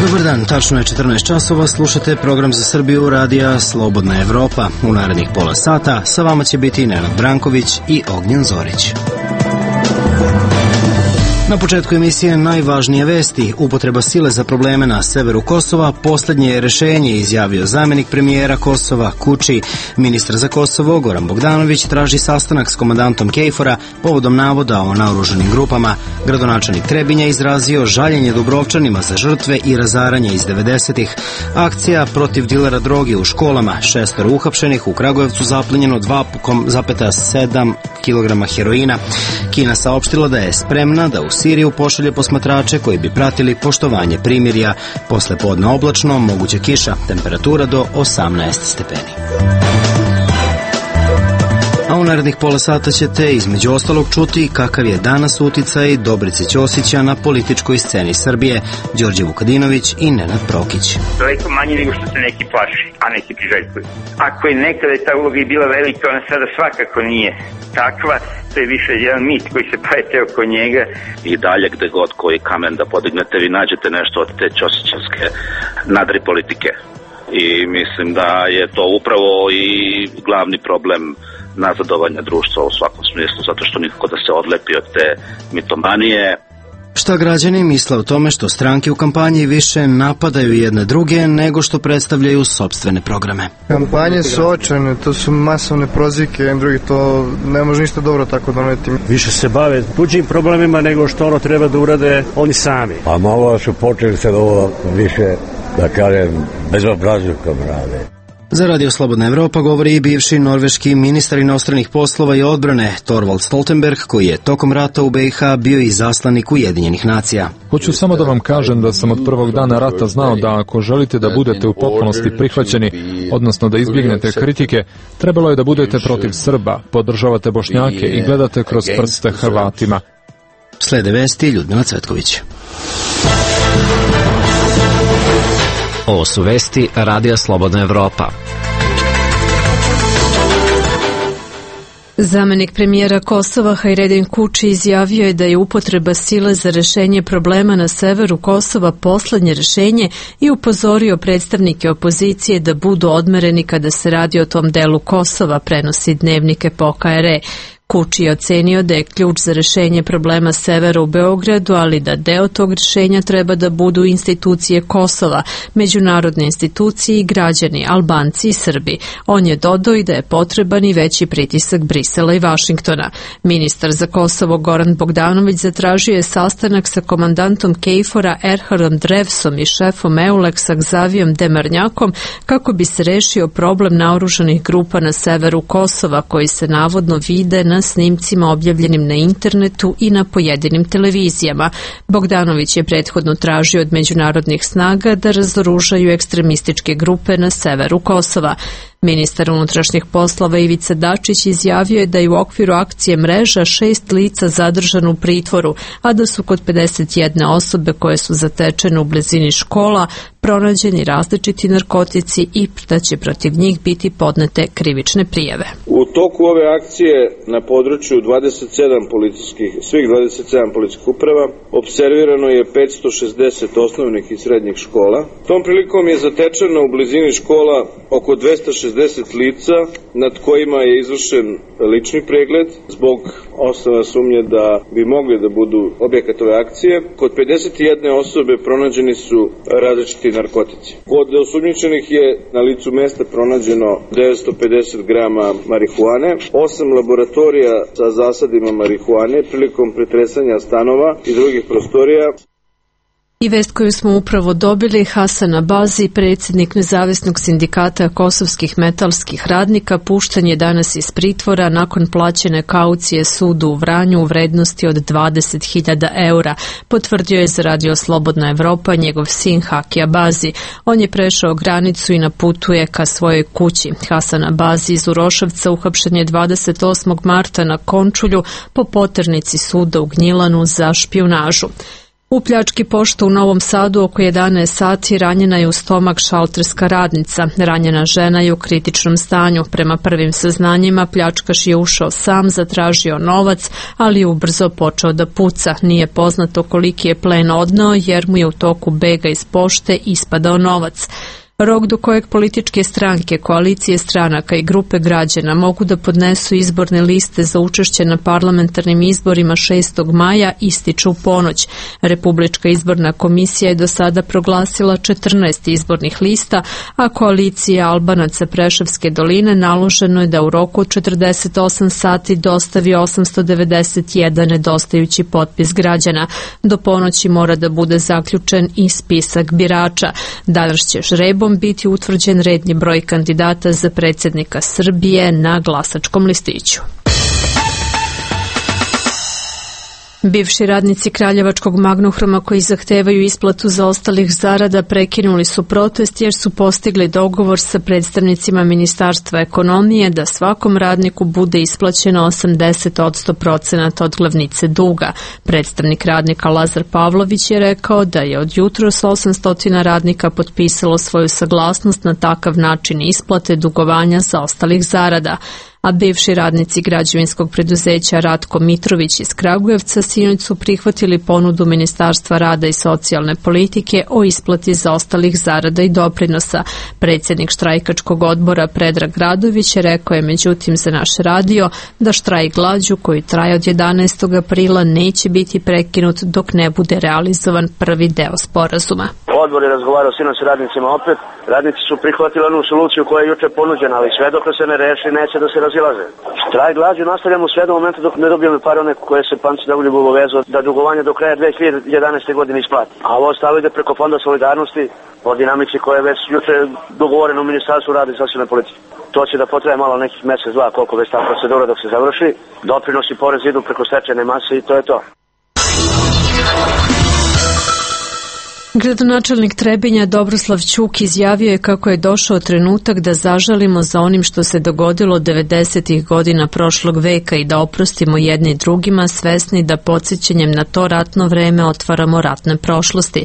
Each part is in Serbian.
Dobar dan, tačno je 14 časova, slušate program za Srbiju radija Slobodna Evropa. U narednih pola sata sa vama će biti Nenad Branković i Ognjen Zorić. Na početku emisije najvažnije vesti. Upotreba sile za probleme na severu Kosova poslednje je rešenje, izjavio zamenik premijera Kosova Kuči. Ministar za Kosovo Goran Bogdanović traži sastanak s komandantom KFOR-a povodom navoda o naoružanim grupama. Gradonačelnik Trebinja izrazio žaljenje Dubrovčanima za žrtve i razaranje iz 90-ih. Akcija protiv dilera droge u školama. 6 uhapšenih, u Kragujevcu zaplenjeno 2,7 kg heroina. Kina saopštila da je spremna da u Siriju pošalje posmatrače koji bi pratili poštovanje primirja. Posle podne oblačno, moguća kiša, temperatura do 18 stepeni. A u narednih pola sata ćete između ostalog čuti kakav je danas uticaj Dobrice Ćosića na političkoj sceni Srbije, Đorđe Vukadinović i Nenad Prokić. Daleko manje nego što se neki plaši, a neki priželjkuju. Ako je nekada ta uloga i bila velika, ona sada svakako nije takva. To je više jedan mit koji se plete oko njega. I dalje gde god koji kamen da podignete, vi nađete nešto od te ćosićevske nadri politike. I mislim da je to upravo i glavni problem nazadovanja društva u svakom smislu, zato što nikako da se odlepi od te mitomanije. Šta građani misle o tome što stranke u kampanji više napadaju jedne druge nego što predstavljaju sopstvene programe? Kampanje su očajne, to su masovne prozivke, jedan drugi, to ne može ništa dobro tako doneti. Više se bave tuđim problemima nego što ono treba da urade oni sami. A malo su počeli se ovo više, da kažem, bezobrazlukom rade. Za Radio Slobodna Evropa govori i bivši norveški ministar inostranih poslova i odbrane Thorvald Stoltenberg, koji je tokom rata u BiH bio i zaslanik Ujedinjenih nacija. Hoću samo da vam kažem da sam od prvog dana rata znao da ako želite da budete u potpunosti prihvaćeni, odnosno da izbjegnete kritike, trebalo je da budete protiv Srba, podržavate Bošnjake i gledate kroz prste Hrvatima. Slede vesti Ljudmila Cvetković. Ovo su vesti Radija Slobodna Evropa. Zamenik premijera Kosova Hajredin Kuči izjavio je da je upotreba sile za rešenje problema na severu Kosova poslednje rešenje i upozorio predstavnike opozicije da budu odmereni kada se radi o tom delu Kosova, prenosi Dnevnik Epoka.re. Kuči je ocenio da je ključ za rešenje problema severa u Beogradu, ali da deo tog rešenja treba da budu institucije Kosova, međunarodne institucije i građani, Albanci i Srbi. On je dodao i da je potreban i veći pritisak Brisela i Vašingtona. Ministar za Kosovo Goran Bogdanović zatražio je sastanak sa komandantom KFOR-a Erharom Drevsom i šefom EULEX-a Xavijom Demarnjakom kako bi se rešio problem naoružanih grupa na severu Kosova koji se navodno vide na snimcima objavljenim na internetu i na pojedinim televizijama. Bogdanović je prethodno tražio od međunarodnih snaga da razoružaju ekstremističke grupe na severu Kosova. Ministar unutrašnjih poslova Ivica Dačić izjavio je da je u okviru akcije Mreža 6 lica zadržano u pritvoru, a da su kod 51 osobe koje su zatečene u blizini škola pronađeni različiti narkotici i da će protiv njih biti podnete krivične prijave. U toku ove akcije na području svih 27 policijskih uprava observirano je 560 osnovnih i srednjih škola. Tom prilikom je zatečeno u blizini škola oko 260 lica nad kojima je izvršen lični pregled zbog osnovne sumnje da bi mogli da budu objekat ove akcije. Kod 51 osobe pronađeni su različiti narkotici. Kod osumnjičenih je na licu mesta pronađeno 950 grama marihuane, 8 laboratorija sa zasadima marihuane prilikom pretresanja stanova i drugih prostorija. I vest koju smo upravo dobili, Hasan Abazi, predsjednik Nezavisnog sindikata kosovskih metalskih radnika, pušten je danas iz pritvora nakon plaćene kaucije sudu u Vranju u vrednosti od 20.000 eura, potvrdio je za Radio Slobodna Evropa njegov sin Haki Abazi. On je prešao granicu i na putu je ka svojoj kući. Hasan Abazi iz Uroševca uhapšen je 28. marta na Končulju po poternici suda u Gnjilanu za špijunažu. U pljački pošte u Novom Sadu oko 11 sati ranjena je u stomak šalterska radnica. Ranjena žena je u kritičnom stanju. Prema prvim saznanjima pljačkaš je ušao sam, zatražio novac, ali je ubrzo počeo da puca. Nije poznato koliki je plen odneo jer mu je u toku bega iz pošte ispadao novac. Rok do kojeg političke stranke, koalicije stranaka i grupe građana mogu da podnesu izborne liste za učešće na parlamentarnim izborima 6. maja ističu u ponoć. Republička izborna komisija je do sada proglasila 14 izbornih lista, a koalicija Albanaca Preševske doline naloženo je da u roku od 48 sati dostavi 891 nedostajući potpis građana. Do ponoći mora da bude zaključen i spisak birača. Danas će žrebom biti utvrđen redni broj kandidata za predsjednika Srbije na glasačkom listiću. Bivši radnici Kraljevačkog Magnohroma koji zahtevaju isplatu zaostalih zarada prekinuli su protest jer su postigli dogovor sa predstavnicima Ministarstva ekonomije da svakom radniku bude isplaćeno 80% od glavnice duga. Predstavnik radnika Lazar Pavlović je rekao da je od jutros 800 radnika potpisalo svoju saglasnost na takav način isplate dugovanja zaostalih zarada. A bivši radnici građevinskog preduzeća Ratko Mitrović iz Kragujevca sinoć su prihvatili ponudu Ministarstva rada i socijalne politike o isplati zaostalih zarada i doprinosa. Predsjednik štrajkačkog odbora Predrag Radović rekao je međutim za naš radio da štrajk glađu koji traje od 11. aprila neće biti prekinut dok ne bude realizovan prvi deo sporazuma. Odbor je razgovarao sinoć s radnicima opet. Radnici su prihvatili onu soluciju koja je juče ponuđena, ali sve dok se ne reši neće da se razilaze. Štrajk glađu nastavljamo sve do momenta dok ne dobijemo pare one koje se Panci Dauljev obavezao da dugovanje do kraja 2011. godine isplati. A ovo ostalo ide preko Fonda solidarnosti po dinamici koja je već juče dogovorena u Ministarstvu rada i socijalne politike. To će da potraje malo nekih mjesec, dva, koliko već ta procedura dok se završi. Doprinosi i porez idu preko stečajne mase i to je to. Gradonačelnik Trebinja Dobroslav Ćuk izjavio je kako je došao trenutak da zažalimo za onim što se dogodilo 90. godina prošlog veka i da oprostimo jedni drugima, svesni da podsjećanjem na to ratno vreme otvaramo ratne prošlosti.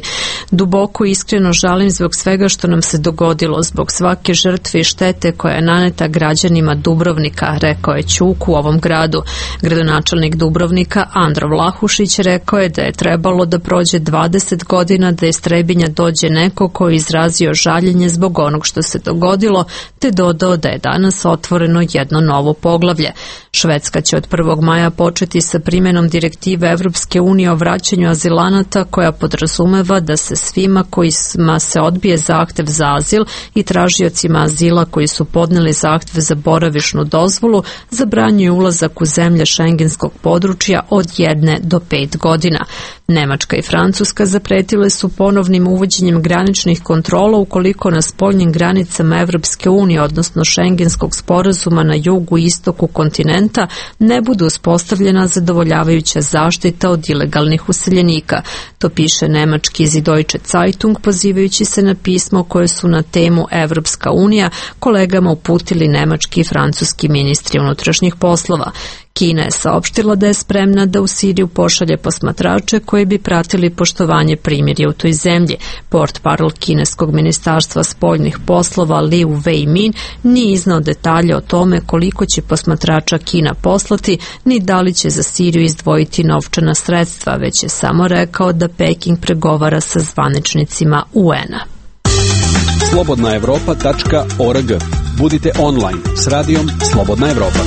Duboko i iskreno žalim zbog svega što nam se dogodilo, zbog svake žrtve i štete koja je naneta građanima Dubrovnika, rekao je Ćuk u ovom gradu. Gradonačelnik Dubrovnika Andro Vlahušić rekao je da je trebalo da prođe 20 godina da iz Trebinja dođe neko ko je izrazio žaljenje zbog onog što se dogodilo, te dodao da je danas otvoreno jedno novo poglavlje. Švedska će od 1. maja početi sa primjenom direktive Evropske unije o vraćanju azilanata koja podrazumeva da se svima kojima se odbije zahtev za azil i tražiocima azila koji su podneli zahtev za boravišnu dozvolu zabranjuje ulazak u zemlje šengenskog područja od 1 do 5 godina. Nemačka i Francuska zapretile su ponovnim uvođenjem graničnih kontrola ukoliko na spoljnim granicama Evropske unije, odnosno šengenskog sporazuma na jugu i istoku kontinenta, ne bude uspostavljena zadovoljavajuća zaštita od ilegalnih useljenika. To piše nemački Süddeutsche Zeitung pozivajući se na pismo koje su na temu Evropska unija kolegama uputili nemački i francuski ministri unutrašnjih poslova. Kina je saopštila da je spremna da u Siriju pošalje posmatrače koji bi pratili poštovanje primirja u toj zemlji. Portparol kineskog ministarstva spoljnih poslova Liu Wei-min nije iznao detalje o tome koliko će posmatrača Kina poslati, ni da li će za Siriju izdvojiti novčana sredstva, već je samo rekao da Peking pregovara sa zvaničnicima UN-a. slobodnaevropa.org. Budite online s radijom Slobodna Evropa.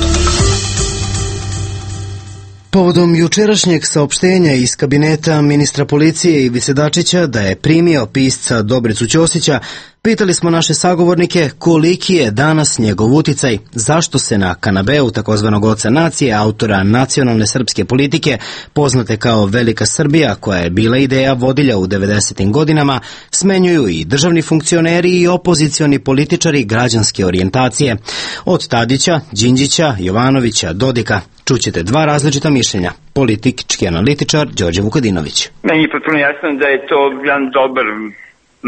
Povodom jučerašnjeg saopštenja iz kabineta ministra policije Ivice Dačića da je primio pisca Dobricu Ćosića, pitali smo naše sagovornike koliki je danas njegov uticaj, zašto se na kanabeu takozvanog oca nacije, autora nacionalne srpske politike, poznate kao Velika Srbija, koja je bila ideja vodilja u 90. godinama, smenjuju i državni funkcioneri i opozicioni političari građanske orijentacije. Od Tadića, Đinđića, Jovanovića, Dodika. Čućete dva različita mišljenja. Politički analitičar Đorđe Vukadinović. Meni je potpuno jasno da je to jedan dobar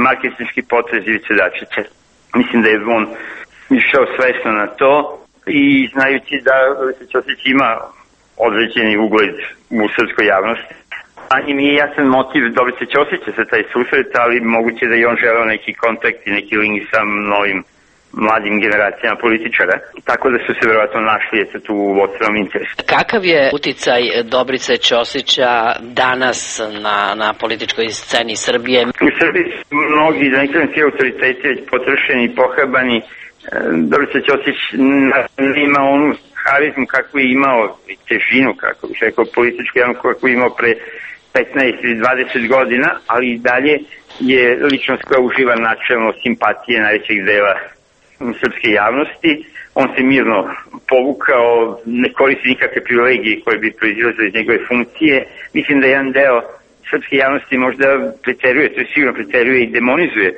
marketinški potez Ivice Dačića. Mislim da je on išao svesno na to i znajući da Ćosić ima određeni ugled u srpskoj javnosti, Njim nije jasan motiv Dobrice Ćosića za taj susret, ali moguće da i on želeo neki kontakt i neki link sa novim mladim generacijama političara, tako da su se verovatno našli tu u vodstvenom interesu. Kakav je uticaj Dobrice Ćosića danas na političkoj sceni Srbije? U Srbiji su mnogi, da ne kažem svi autoriteti, već potrošeni i pohapani. Dobrica Ćosić ima onu harizmu kakvu je imao, i težinu, kako bih rekao, političku javnu kakvu je imao pre 15 ili 20 godina, ali i dalje je ličnost koja uživa načelno simpatije najvećeg dela srpske javnosti. On se mirno povukao, ne koristi nikakve privilegije koje bi proizilazile iz njegove funkcije. Mislim da jedan deo srpske javnosti možda preteruje, to je sigurno preteruje i demonizuje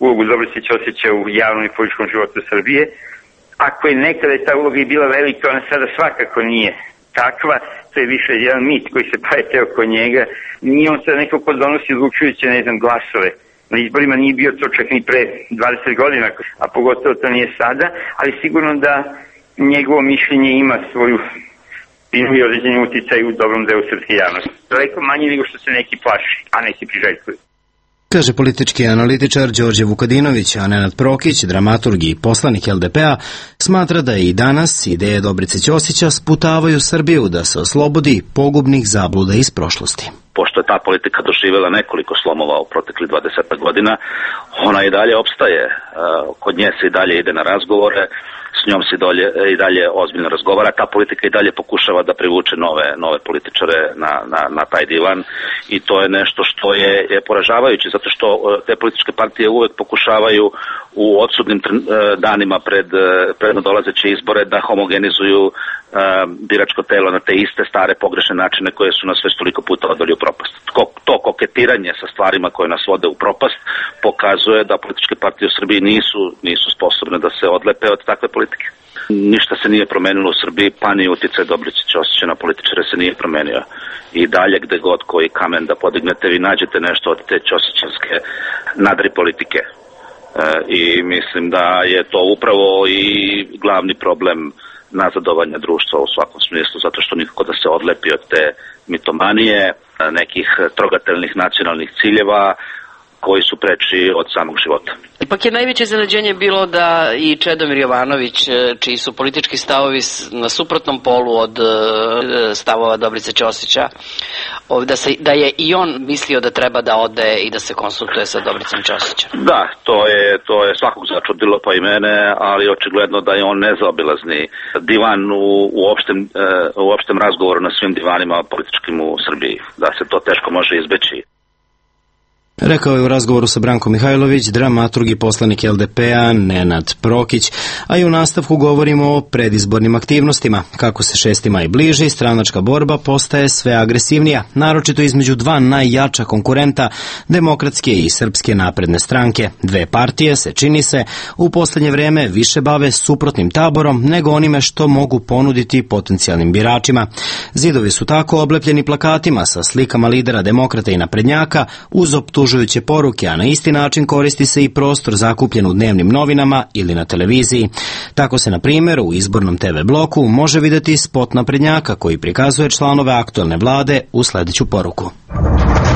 ulogu Dobrice Ćosića u javnom i političkom životu Srbije. Ako je nekada ta uloga i bila velika, ona sada svakako nije takva. To je više jedan mit koji se prete oko njega. Nije on sada neko ko donosi odlučujuće, glasove. Na izborima nije bio to čak ni pre 20 godina, a pogotovo to nije sada, ali sigurno da njegovo mišljenje ima svoju i određeni uticaj u dobrom delu srpske javnosti. Daleko manje nego što se neki plaši, a neki priželjkuju. Kaže politički analitičar Đorđe Vukadinović, a Nenad Prokić, dramaturg i poslanik LDP-a, smatra da i danas ideje Dobrice Ćosića sputavaju Srbiju da se oslobodi pogubnih zabluda iz prošlosti. Pošto je ta politika doživjela nekoliko slomova u proteklih 20 godina, ona i dalje opstaje. Kod nje se i dalje ide na razgovore, s njom se i dalje ozbiljno razgovara. Ta politika i dalje pokušava da privuče nove političare na taj divan i to je nešto što je poražavajuće, zato što te političke partije uvek pokušavaju u odsudnim danima pred nadolazeće izbore da homogenizuju biračko telo na te iste stare pogrešne načine koje su nas već toliko puta odveli u propast. To koketiranje sa stvarima koje nas vode u propast pokazuje da političke partije u Srbiji nisu sposobne da se odlepe od takve politike. Ništa se nije promenilo u Srbiji, pa ni uticaj Dobrice Ćosića na političare se nije promenio. I dalje gde god koji kamen da podignete, vi nađete nešto od te ćosićevske nadri politike. I mislim da je to upravo i glavni problem nazadovanja društva u svakom smislu, zato što nikako da se odlepi od te mitomanije, nekih trogateljnih nacionalnih ciljeva koji su preči od samog života. Ipak je najveće iznenađenje bilo da i Čedomir Jovanović, čiji su politički stavovi na suprotnom polu od stavova Dobrice Ćosića, da je i on mislio da treba da ode i da se konsultuje sa Dobricom Ćosićem. Da, to je svakog začudilo, pa i mene, ali očigledno da je on nezaobilazni divan u opštem razgovoru na svim divanima političkim u Srbiji, da se to teško može izbeći. Rekao je u razgovoru sa Brankom Mihajlović, dramaturg i poslanik LDP-a Nenad Prokić, a i u nastavku govorimo o predizbornim aktivnostima. Kako se 6. maj bliži, stranačka borba postaje sve agresivnija, naročito između dva najjača konkurenta, Demokratske i Srpske napredne stranke. Dve partije se, čini se, u poslednje vreme više bave suprotnim taborom nego onime što mogu ponuditi potencijalnim biračima. Zidovi su tako oblepljeni plakatima sa slikama lidera Demokrata i naprednjaka uz optužujuće poruke, a na isti način koristi se i prostor zakupljen u dnevnim novinama ili na televiziji. Tako se, na primjer, u izbornom TV bloku može videti spot naprednjaka koji prikazuje članove aktuelne vlade u sledeću poruku.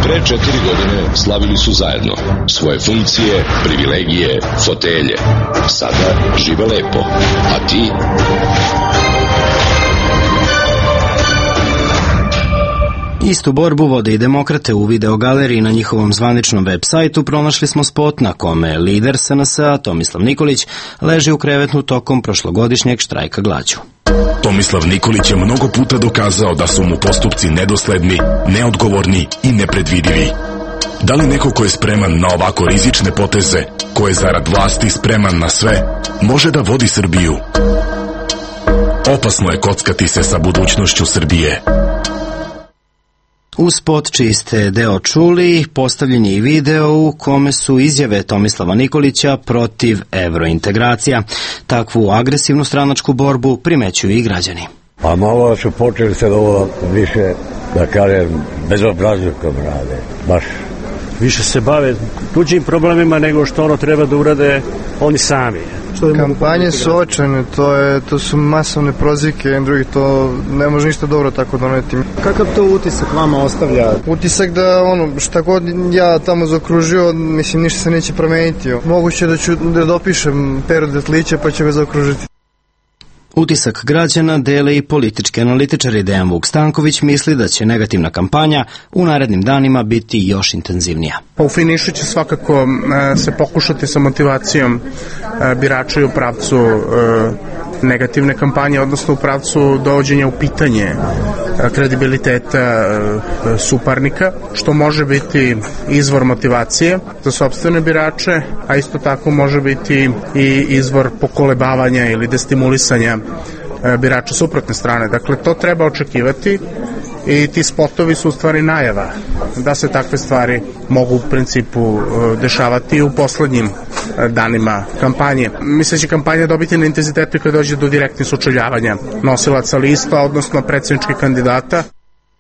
Pre 4 godine slavili su zajedno svoje funkcije, privilegije, fotelje. Sada žive lepo. A ti? Istu borbu vode i Demokrate. U videogaleriji na njihovom zvaničnom web sajtu pronašli smo spot na kome lider SNS-a Tomislav Nikolić leži u krevetu tokom prošlogodišnjeg štrajka glađu. Tomislav Nikolić je mnogo puta dokazao da su mu postupci nedosledni, neodgovorni i nepredvidivi. Da li neko ko je spreman na ovako rizične poteze, ko je zarad vlasti spreman na sve, može da vodi Srbiju? Opasno je kockati se sa budućnošću Srbije. U spot čiji ste deo čuli, postavljen je i video u kome su izjave Tomislava Nikolića protiv evrointegracija. Takvu agresivnu stranačku borbu primećuju i građani. Pa malo su počeli se ovo više, da kažem, bezobrazlukom rade. Baš više se bave tuđim problemima nego što ono treba da urade oni sami. Kampanje su očajne, to su masovne prozivke, drugi to ne može ništa dobro tako doneti. Kakav to utisak vama ostavlja? Utisak da šta god ja tamo zaokružio, mislim ništa se neće promeniti. Moguće da ću da dopišem Peru Detlića pa ću ga zaokružiti. Utisak građana dele i politički analitičari. Dejan Vuk Stanković misli da će negativna kampanja u narednim danima biti još intenzivnija. U finišu će svakako se pokušati sa motivacijom birača u pravcu negativne kampanje, odnosno u pravcu dovođenja u pitanje kredibiliteta suparnika, što može biti izvor motivacije za sopstvene birače, a isto tako može biti i izvor pokolebavanja ili destimulisanja birača suprotne strane. Dakle, to treba očekivati i ti spotovi su u stvari najava da se takve stvari mogu u principu dešavati u poslednjim danima kampanje. Mislim da će kampanja dobiti na intenzitetu kada dođe do direktnih sučeljavanja nosilaca lista, odnosno predsjedničkih kandidata.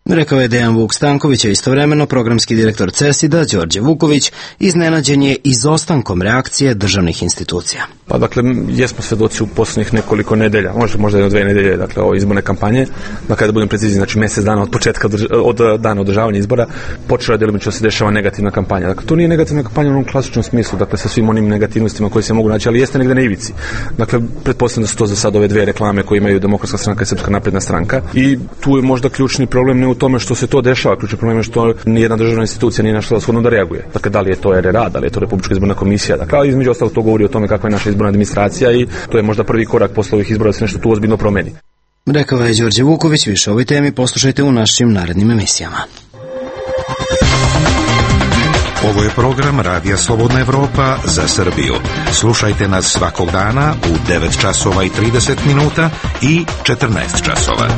Rekao je Dejan Vuk Stanković, a istovremeno programski direktor CESID-a Đorđe Vuković iznenađen je izostankom reakcije državnih institucija. Pa dakle, jesmo svedoci u poslednjih nekoliko nedelja, možda jedno 2 nedelje, dakle, ove izborne kampanje, da kada budem precizni, znači mjesec dana od početka, od dana održavanja izbora, počela je delimično da se dešava negativna kampanja. Dakle, to nije negativna kampanja u onom klasičnom smislu, dakle, sa svim onim negativnostima koji se mogu naći, ali jeste negde na ivici. Dakle, pretpostavljam da su to za sad ove 2 reklame koje imaju Demokratska stranka i Srpska napredna stranka. I tu je možda ključni problem ne u tome što se to dešava, ključni problem je što nijedna državna institucija nije našla shodno da reaguje. Dakle, da li je to RRA, da li je to Republička izborna komisija, dakle, između ostalog to govori o tome kakva je naša izborna administracija i to je možda prvi korak posle ovih izbora da se nešto tu ozbiljno promeni. Rekao je Đorđe Vuković. Više o ovoj temi poslušajte u našim narednim emisijama. Ovo je program Radija Slobodna Evropa za Srbiju. Slušajte nas svakog dana u 9 časova i 30 minuta i 14 časova.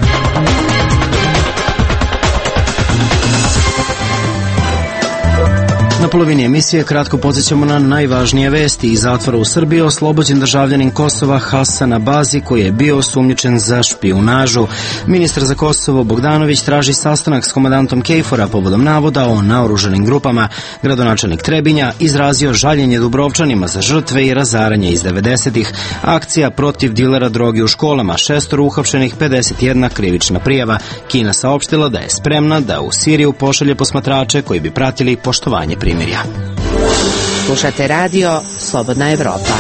Na polovini emisije kratko podsjećamo na najvažnije vesti. Iz zatvora u Srbiji oslobođen državljanin Kosova Hasan Abazi, koji je bio osumnjičen za špijunažu. Ministar za Kosovo Bogdanović traži sastanak s komandantom KFOR-a povodom navoda o naoružanim grupama. Gradonačelnik Trebinja izrazio žaljenje Dubrovčanima za žrtve i razaranje iz 90-ih. Akcija protiv dilera droge u školama, 6 uhapšenih, 51 krivična prijava. Kina saopštila da je spremna da u Siriju pošalje posmatrače koji bi pratili poštovanje primirja. Slušate radio Slobodna Evropa.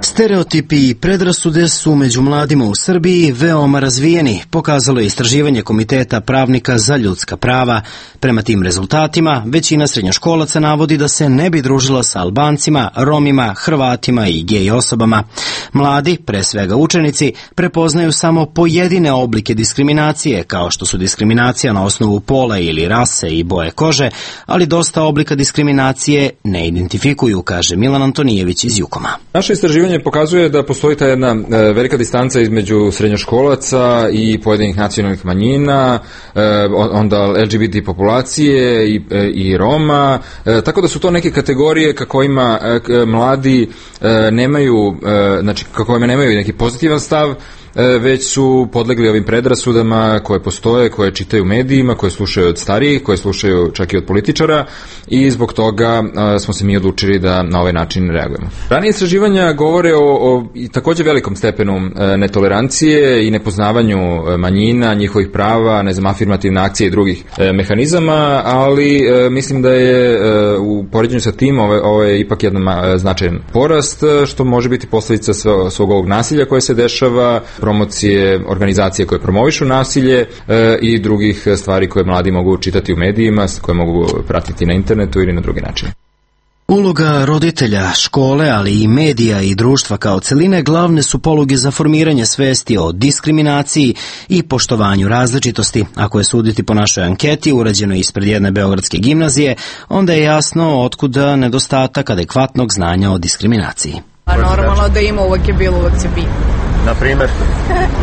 Stereotipi i predrasude su među mladima u Srbiji veoma razvijeni, pokazalo je istraživanje Komiteta pravnika za ljudska prava. Prema tim rezultatima, većina srednjoškolaca navodi da se ne bi družila sa Albancima, Romima, Hrvatima i gej osobama. Mladi, pre svega učenici, prepoznaju samo pojedine oblike diskriminacije, kao što su diskriminacija na osnovu pola ili rase i boje kože, ali dosta oblika diskriminacije ne identifikuju, kaže Milan Antonijević iz Jukoma. Naše istraživanje pokazuje da postoji ta jedna velika distanca između srednjoškolaca i pojedinih nacionalnih manjina, onda LGBT populacije i Roma, tako da su to neke kategorije kako ima mladi nemaju, znači kako ima nemaju neki pozitivan stav, već su podlegli ovim predrasudama koje postoje, koje čitaju u medijima, koje slušaju od starijih, koje slušaju čak i od političara i zbog toga smo se mi odlučili da na ovaj način reagujemo. Ranije istraživanja govore o također velikom stepenu netolerancije i nepoznavanju manjina, njihovih prava, afirmativne akcije i drugih mehanizama, ali mislim da je u poređenju sa tim ovo je ipak jedan značajan porast, što može biti posljedica svog ovog nasilja koje se dešava, promocije organizacije koje promovišu nasilje i drugih stvari koje mladi mogu čitati u medijima, koje mogu pratiti na internetu ili na drugi način. Uloga roditelja, škole, ali i medija i društva kao celine glavne su poluge za formiranje svesti o diskriminaciji i poštovanju različitosti. Ako je suditi po našoj anketi, urađenoj ispred jedne beogradske gimnazije, onda je jasno otkuda nedostatak adekvatnog znanja o diskriminaciji. Normalno da ima, uvek je bilo, uvek će biti. Na primer?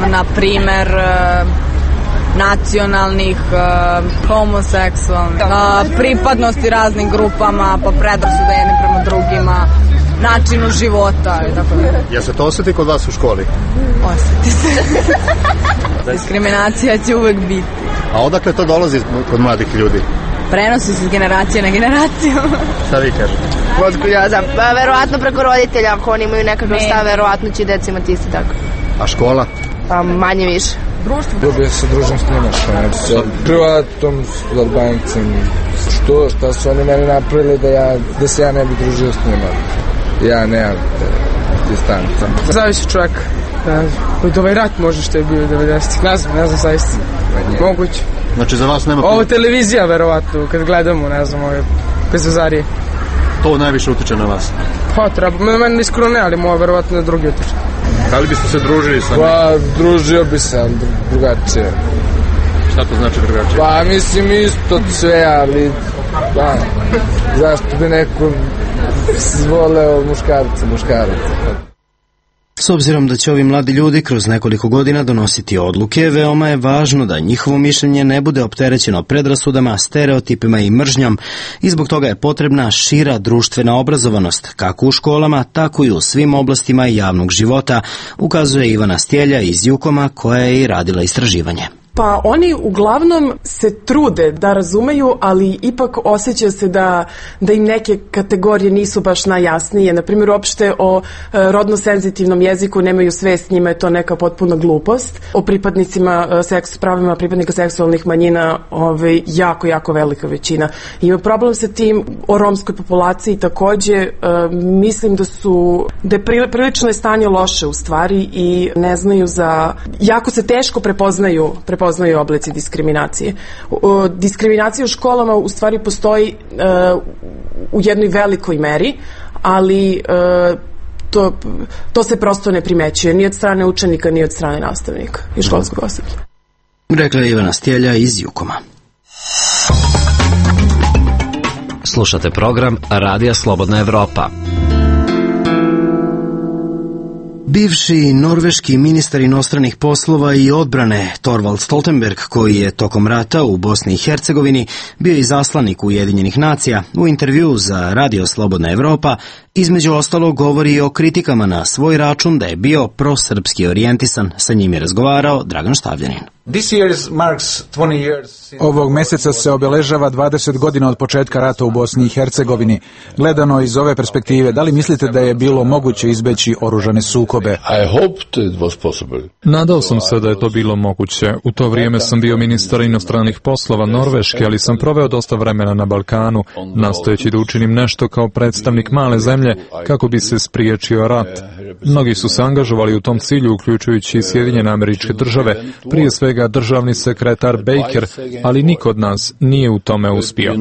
Na primer, nacionalnih, homoseksualnih, pripadnosti raznim grupama, pa predrasude jednim prema drugima, načinu života. Jel se to osjeti kod vas u školi? Osjeti se. Diskriminacija će uvek biti. A odakle to dolazi kod mladih ljudi? Prenosi se s generacije na generaciju. Šta vi kažete? Otkud ja znam? Verovatno preko roditelja, ako oni imaju nekakav stav, verovatno će deca imati isto tako. A škola? Pa manje više. Društvo? Ljubio se družim s njima, sa privatom, s Albancem. Šta su oni meni napravili da se ja ne bi družio s njima. Ja nemam distanca. Zavisi čovjek. Od ovaj rat može što je bio 90-ih. Ne znam zaista. Moguće. Znači za vas nema... Ovo televizija, verovatno, kad gledamo, ne znam, ove pezazarije. To najviše utiče na vas? Pa, treba. Meni iskreno ne, ali moja verovatno na drugi utiče. Da li biste se družili sa njim? Pa, družio bi se, ali drugačije. Šta to znači drugačije? Pa, mislim isto sve, ali... Pa, zašto bi neko voleo muškaraca? S obzirom da će ovi mladi ljudi kroz nekoliko godina donositi odluke, veoma je važno da njihovo mišljenje ne bude opterećeno predrasudama, stereotipima i mržnjom i zbog toga je potrebna šira društvena obrazovanost, kako u školama, tako i u svim oblastima javnog života, ukazuje Ivana Stjelja iz Jukoma koja je i radila istraživanje. Pa oni uglavnom se trude da razumeju, ali ipak osjeća se da im neke kategorije nisu baš najjasnije. Naprimjer, uopšte o rodno senzitivnom jeziku nemaju svest, njima je to neka potpuna glupost. O pripadnicima, pravima pripadnika seksualnih manjina jako velika većina. Ima problem sa tim. O romskoj populaciji takođe mislim da je prilično stanje loše u stvari i ne znaju jako se teško prepoznaju oblici diskriminacije. Diskriminacija u školama u stvari postoji u jednoj velikoj meri, ali to se prosto ne primećuje ni od strane učenika, ni od strane nastavnika i školskog osoblja. Rekla je Ivana Stjelja iz Jukoma. Slušate program Radija Slobodna Evropa. Bivši norveški ministar inostranih poslova i odbrane Thorvald Stoltenberg, koji je tokom rata u Bosni i Hercegovini bio izaslanik Ujedinjenih nacija, u intervjuu za Radio Slobodna Evropa između ostalog govori o kritikama na svoj račun da je bio prosrpski orijentisan. Sa njim je razgovarao Dragan Štavljanin. Ovog meseca se obeležava 20 godina od početka rata u Bosni i Hercegovini. Gledano iz ove perspektive, da li mislite da je bilo moguće izbeći oružane sukobe? Nadao sam se da je to bilo moguće. U to vrijeme sam bio ministar inostranih poslova Norveške, ali sam proveo dosta vremena na Balkanu, nastojeći da učinim nešto kao predstavnik male zemlje kako bi se spriječio rat. Mnogi su se angažovali u tom cilju, uključujući i Sjedinjene Američke Države, prije svega državni sekretar Baker, ali niko od nas nije u tome uspio.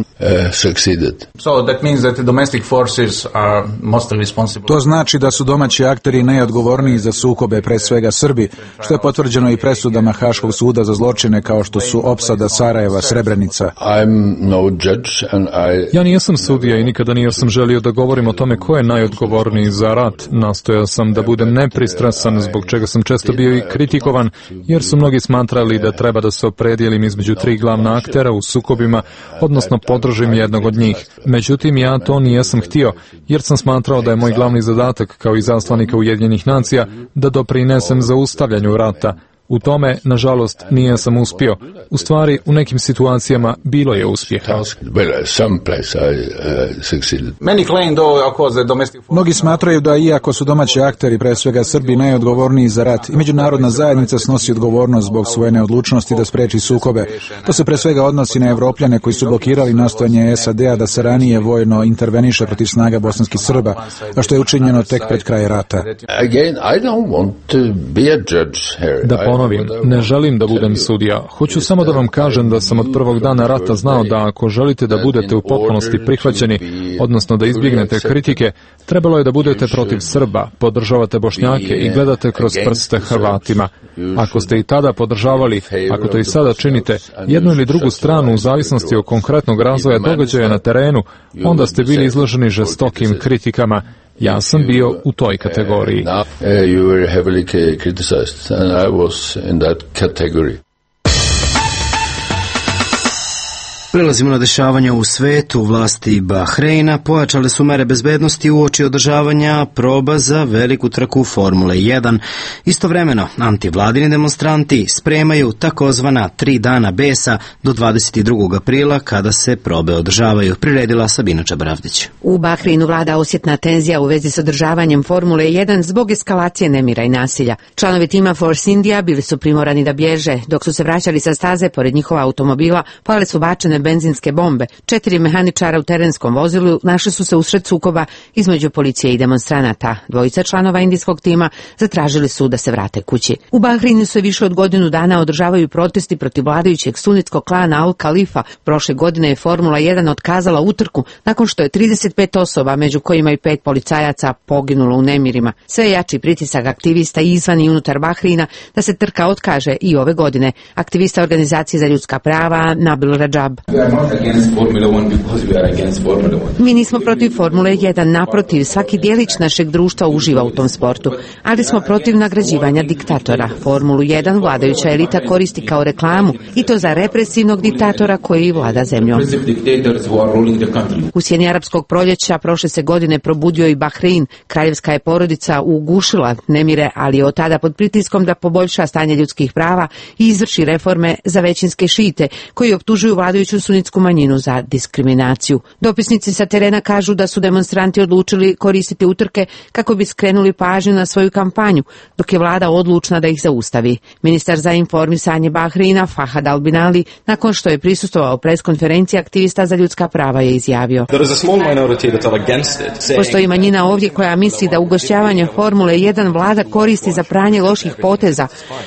To znači da su domaći akteri najodgovorniji za sukobe, pre svega Srbi, što je potvrđeno i presudama Haškog suda za zločine kao što su opsada Sarajeva, Srebrenica. Ja nijesam sudija i nikada nisam želio da govorim o tome ko je najodgovorniji za rat. Nastojao sam da budem nepristrasan, zbog čega sam često bio i kritikovan, jer su mnogi smatrali da treba da se opredijelim između tri glavna aktera u sukobima, odnosno podržim jednog od njih. Međutim, ja to nijesam htio, jer sam smatrao da je moj glavni zadatak kao i zaslanika Ujedinjenih nacija da doprinesem zaustavljanju rata. U tome, nažalost, nijesam uspio. U stvari, u nekim situacijama bilo je uspjeha. Mnogi smatraju da iako su domaći akteri, pre svega Srbi, najodgovorniji za rat, i međunarodna zajednica snosi odgovornost zbog svoje neodlučnosti da spreči sukobe. To se pre svega odnosi na Evropljane koji su blokirali nastojanje SAD-a da se ranije vojno interveniše protiv snaga bosanskih Srba, a što je učinjeno tek pred kraj rata. Da ponovim, ne želim da budem sudija. Hoću samo da vam kažem da sam od prvog dana rata znao da ako želite da budete u potpunosti prihvaćeni, odnosno da izbjegnete kritike, trebalo je da budete protiv Srba, podržavate Bošnjake i gledate kroz prste Hrvatima. Ako ste i tada podržavali, ako to i sada činite, jednu ili drugu stranu u zavisnosti od konkretnog razvoja događaja na terenu, onda ste bili izloženi žestokim kritikama. Ja sam bio u toj kategoriji. Prelazimo na dešavanja u svetu. Vlasti Bahreina pojačale su mere bezbednosti uoči održavanja proba za veliku trku Formule 1. Istovremeno, antivladini demonstranti spremaju takozvana 3 dana besa do 22. aprila kada se probe održavaju, priredila Sabina Čabravdić. U Bahreinu vlada osjetna tenzija u vezi s održavanjem Formule 1 zbog eskalacije nemira i nasilja. Članovi tima Force India bili su primorani da bježe. Dok su se vraćali sa staze, pored njihova automobila, pale su bačene benzinske bombe. 4 mehaničara u terenskom vozilu našli su se usred sukoba između policije i demonstranata. 2 članova indijskog tima zatražili su da se vrate kući. U Bahreinu se više od godinu dana održavaju protesti protiv vladajućeg sunitskog klana Al Khalifa. Prošle godine je Formula 1 otkazala utrku nakon što je 35 osoba, među kojima i 5 policajaca, poginulo u nemirima. Sve jači pritisak aktivista izvan i unutar Bahreina da se trka otkaže i ove godine. Aktivista organizacije za ljudska prava Nabil Rajab. Mi nismo protiv Formule 1, naprotiv, svaki dijelić našeg društva uživa u tom sportu, ali smo protiv nagrađivanja diktatora. Formulu 1 vladajuća elita koristi kao reklamu i to za represivnog diktatora koji vlada zemljom. U sjeni arapskog proljeća prošle se godine probudio i Bahrein. Kraljevska je porodica ugušila nemire, ali je od tada pod pritiskom da poboljša stanje ljudskih prava i izvrši reforme za većinske šite koji optužuju vladajuću sunitsku manjinu za diskriminaciju. Dopisnici sa terena kažu da su demonstranti odlučili koristiti utrke kako bi skrenuli pažnju na svoju kampanju, dok je vlada odlučna da ih zaustavi. Ministar za informisanje Bahreina Fahad Al-Binali, nakon što je prisustvovao preskonferenciji aktivista za ljudska prava, je izjavio: postoji manjina ovdje koja misli da ugošćavanje Formule 1 vlada koristi za pranje loših poteza,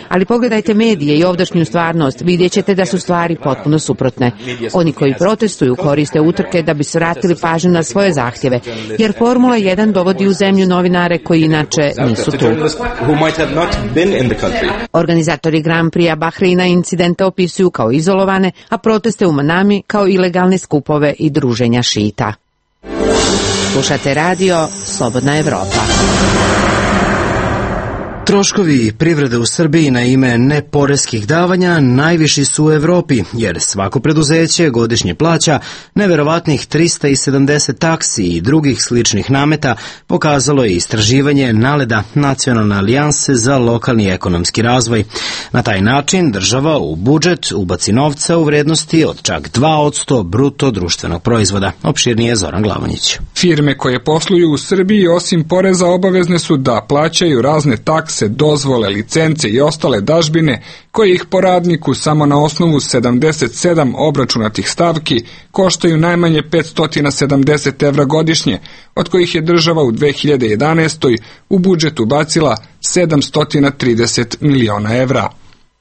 ali pogledajte medije i ovdašnju stvarnost, vidjet ćete da su stvari potpuno suprotne. Oni koji protestuju koriste utrke da bi svratili pažnju na svoje zahtjeve, jer Formula 1 dovodi u zemlju novinare koji inače nisu tu. Organizatori Grand Prix Bahreina incidente opisuju kao izolovane, a proteste u Manami kao ilegalne skupove i druženja šita. Slušate radio Slobodna Evropa. Troškovi privrede u Srbiji na ime neporeskih davanja najviši su u Evropi, jer svako preduzeće godišnje plaća neverovatnih 370 taksi i drugih sličnih nameta, pokazalo je istraživanje NALED-a, Nacionalne alijanse za lokalni ekonomski razvoj. Na taj način država u budžet ubaci novca u vrednosti od čak 2% bruto društvenog proizvoda. Opširnije Zoran Glavonjić. Firme koje posluju u Srbiji osim poreza obavezne su da plaćaju razne takse, dozvole, licence i ostale dažbine koje ih po radniku samo na osnovu 77 obračunatih stavki koštaju najmanje 570 evra godišnje, od kojih je država u 2011. u budžet ubacila 730 miliona evra.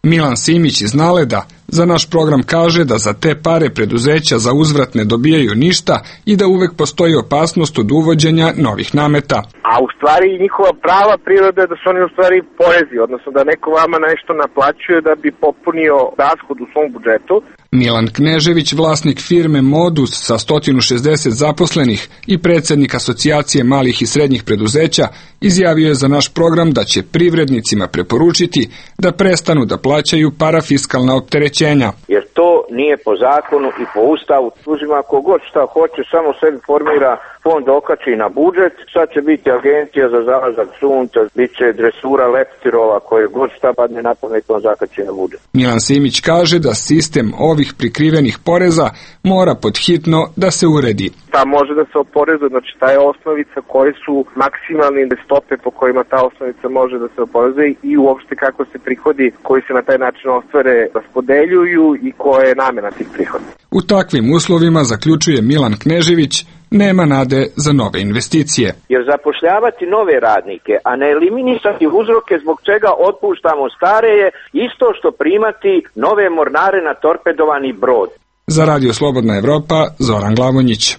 Milan Simić iz NALED-a za naš program kaže da za te pare preduzeća za uzvrat ne dobijaju ništa i da uvek postoji opasnost od uvođenja novih nameta. A u stvari njihova prava priroda je da su oni u stvari porezi, odnosno da neko vama nešto naplaćuje da bi popunio rashod u svom budžetu. Milan Knežević, vlasnik firme Modus sa 160 zaposlenih i predsjednik Asocijacije malih i srednjih preduzeća, izjavio je za naš program da će privrednicima preporučiti da prestanu da plaćaju parafiskalna opterećenja. Jer to nije po zakonu i po ustavu. Uzima kogod šta hoće, samo sebi formira fond, okači na budžet. Sad će biti agencija za zalazak sunca, bit će dresura leptirova koje god šta padne na pamet, on zakači na budžet. Milan Simić kaže da sistem ovih prikrivenih poreza mora podhitno da se uredi. Ta može da se oporezuje, znači ta je osnovica koje su maksimalne stope po kojima ta osnovica može da se oporezuje i uopšte kako se prihodi koji se na taj način ostvare raspodeljuju i koja je namena tih prihoda. U takvim uslovima, zaključuje Milan Knežević, nema nade za nove investicije. Jer zapošljavati nove radnike, a ne eliminisati uzroke zbog čega otpuštamo stare je isto što primati nove mornare na torpedovani brod. Za Radio Slobodna Evropa, Zoran Glavonjić.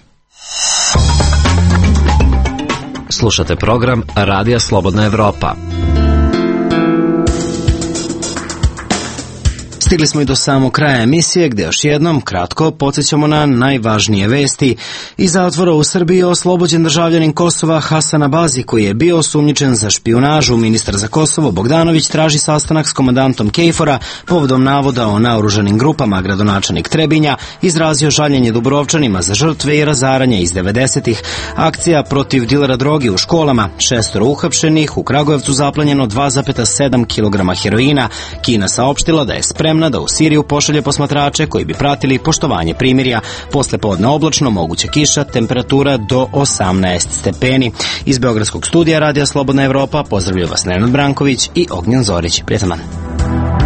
Slušate program Radija Slobodna Evropa. Stigli smo i do samog kraja emisije, gde još jednom kratko podsjećamo na najvažnije vesti. Iz zatvora u Srbiji je oslobođen državljanin Kosova Hasan Abazi, koji je bio osumnjičen za špijunažu. Ministar za Kosovo Bogdanović traži sastanak s komandantom KFOR-a povodom navoda o naoružanim grupama. Gradonačelnik Trebinja izrazio žaljenje Dubrovčanima za žrtve i razaranje iz 90-ih. Akcija protiv dilera droge u školama, 6 uhapšenih, u Kragujevcu zaplanjeno 2,7 kg heroina. Kina saopštila da je spremna da u Siriju pošalje posmatrače koji bi pratili poštovanje primirja. Posle podne oblačno, moguća kiša, temperatura do 18 stepeni. Iz Beogradskog studija Radija Slobodna Evropa pozdravljaju vas Nenad Branković i Ognjen Zorić. Prijatan dan.